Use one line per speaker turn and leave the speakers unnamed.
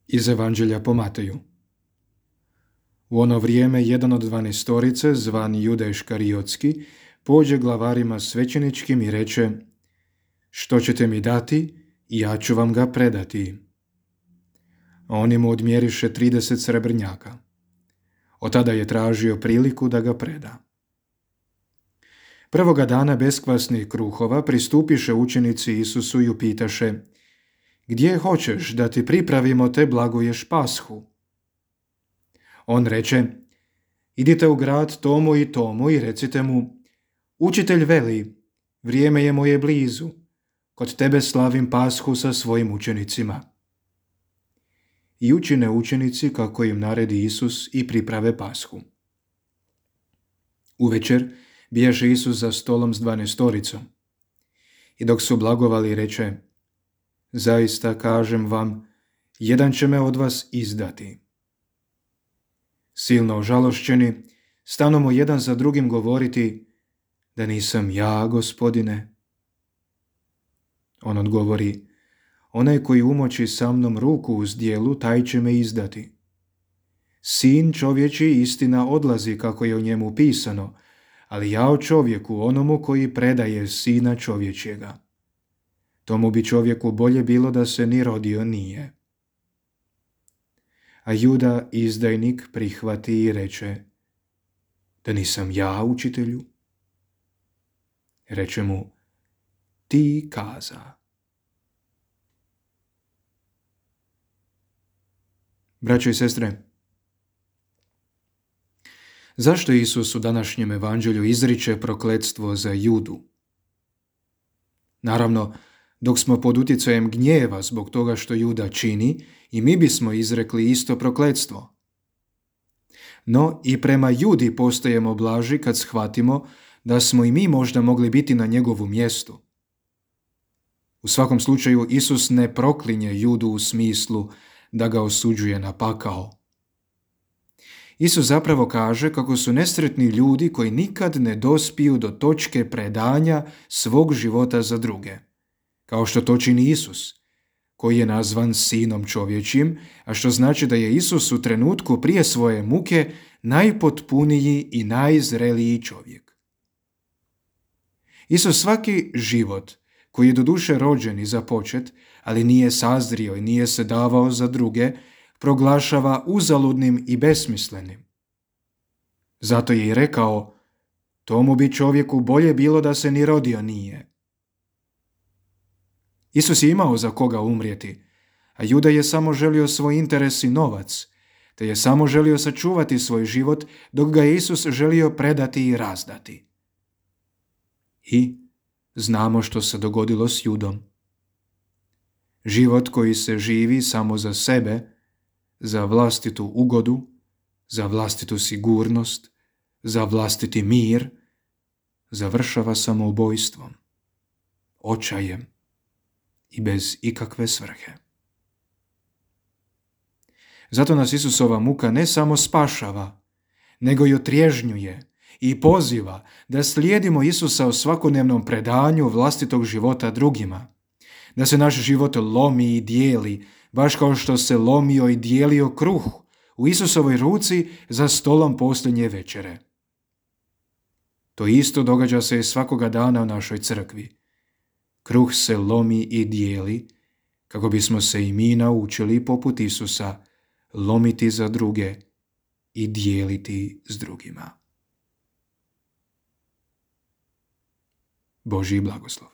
Iz Evanđelja po Mateju. U ono vrijeme jedan od 12, zvan Juda Iškariotski, pođe glavarima svećeničkim i reče: što ćete mi dati, ja ću vam ga predati. A oni mu odmjeriše 30 srebrnjaka. Od tada je tražio priliku da ga preda. Prvoga dana beskvasnih kruhova pristupiše učenici Isusu i upitaše: gdje hoćeš da ti pripravimo te blagoješ Pashu? On reče: idite u grad tomu i tomu i recite mu: učitelj veli, vrijeme je moje blizu, kod tebe slavim Pashu sa svojim učenicima. I učine učenici kako im naredi Isus i priprave Pashu. Uvečer bijaše Isus za stolom s 12. I dok su blagovali reče: zaista kažem vam, jedan će me od vas izdati. Silno ožalošćeni, stanomu jedan za drugim govoriti: da nisam ja, Gospodine. On odgovori: onaj koji umoči sa mnom ruku uz djelu, taj će me izdati. Sin čovječi istina odlazi kako je o njemu pisano, ali jao čovjeku onomu koji predaje sina čovječjega. Tomu bi čovjeku bolje bilo da se ni rodio nije. A Juda, izdajnik, prihvati i reče: da nisam ja, učitelju? Reče mu: ti kaza. Braćo i sestre, zašto Isus u današnjem evanđelju izriče prokletstvo za Judu? Naravno, dok smo pod utjecajem gnjeva zbog toga što Juda čini, i mi bismo izrekli isto prokletstvo. No i prema Judi postajemo blaži kad shvatimo da smo i mi možda mogli biti na njegovu mjestu. U svakom slučaju, Isus ne proklinje Judu u smislu da ga osuđuje na pakao. Isus zapravo kaže kako su nesretni ljudi koji nikad ne dospiju do točke predanja svog života za druge, kao što to čini Isus, koji je nazvan sinom čovječim, a što znači da je Isus u trenutku prije svoje muke najpotpuniji i najzreliji čovjek. Isus svaki život, koji je doduše rođen i započet, ali nije sazrio i nije se davao za druge, proglašava uzaludnim i besmislenim. Zato je i rekao: tomu bi čovjeku bolje bilo da se ni rodio nije. Isus je imao za koga umrijeti, a Juda je samo želio svoj interes i novac, te je samo želio sačuvati svoj život, dok ga je Isus želio predati i razdati. I znamo što se dogodilo s Judom. Život koji se živi samo za sebe, za vlastitu ugodu, za vlastitu sigurnost, za vlastiti mir, završava samoubojstvom, očajem i bez ikakve svrhe. Zato nas Isusova muka ne samo spašava, nego i otrježnjuje i poziva da slijedimo Isusa u svakodnevnom predanju vlastitog života drugima, da se naš život lomi i dijeli, baš kao što se lomio i dijelio kruh u Isusovoj ruci za stolom posljednje večere. To isto događa se i svakoga dana u našoj crkvi. Kruh se lomi i dijeli kako bismo se i mi naučili poput Isusa lomiti za druge i dijeliti s drugima. Božji blagoslov.